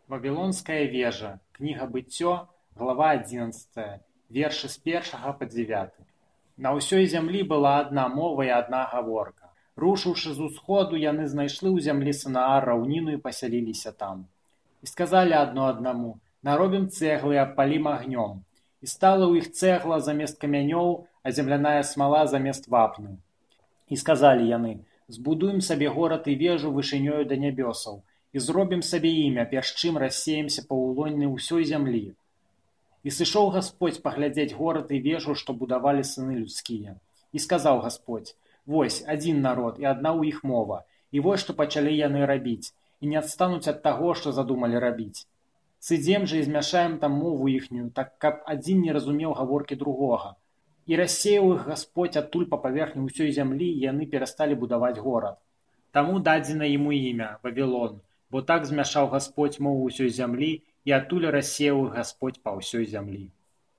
Вавілонская вежа. Кніга Быццё, глава 11, вершы з 1 па 9. На ўсёй зямлі была адна мова і адна гаворка. Рушыўшы з усходу, яны знайшлі ў зямлі Санаар раўніну і пасяліліся там. І сказалі адно аднаму: наробім цэглы і абпалім агнём. І стала ў іх цэгла замест камянёў, а земляная смала замест вапны. І сказалі яны: збудуем сабе горад і вежу вышынёю да нябёсаў, і зробім сабе імя, перш чым рассеемся па ўлонні ўсёй зямлі. І сышоў Гасподзь паглядзець горад і вежу, што будавалі сыны людскія. І сказаў Гасподзь: вось, адзін народ і адна ў іх мова, і вось што пачалі яны рабіць, і не адстануць ад таго, што задумалі рабіць. Сыдзем жа і змяшаем там мову іхнюю, так каб адзін не разумеў гаворкі другога. І рассеяў іх Гасподзь адтуль па паверхні ўсёй зямлі, і яны перасталі будаваць горад. Таму дадзена яму імя Вавілон, бо так змяшаў Гасподзь мову ўсёй зямлі, і адтуль рассеяў іх Гасподзь па ўсёй зямлі.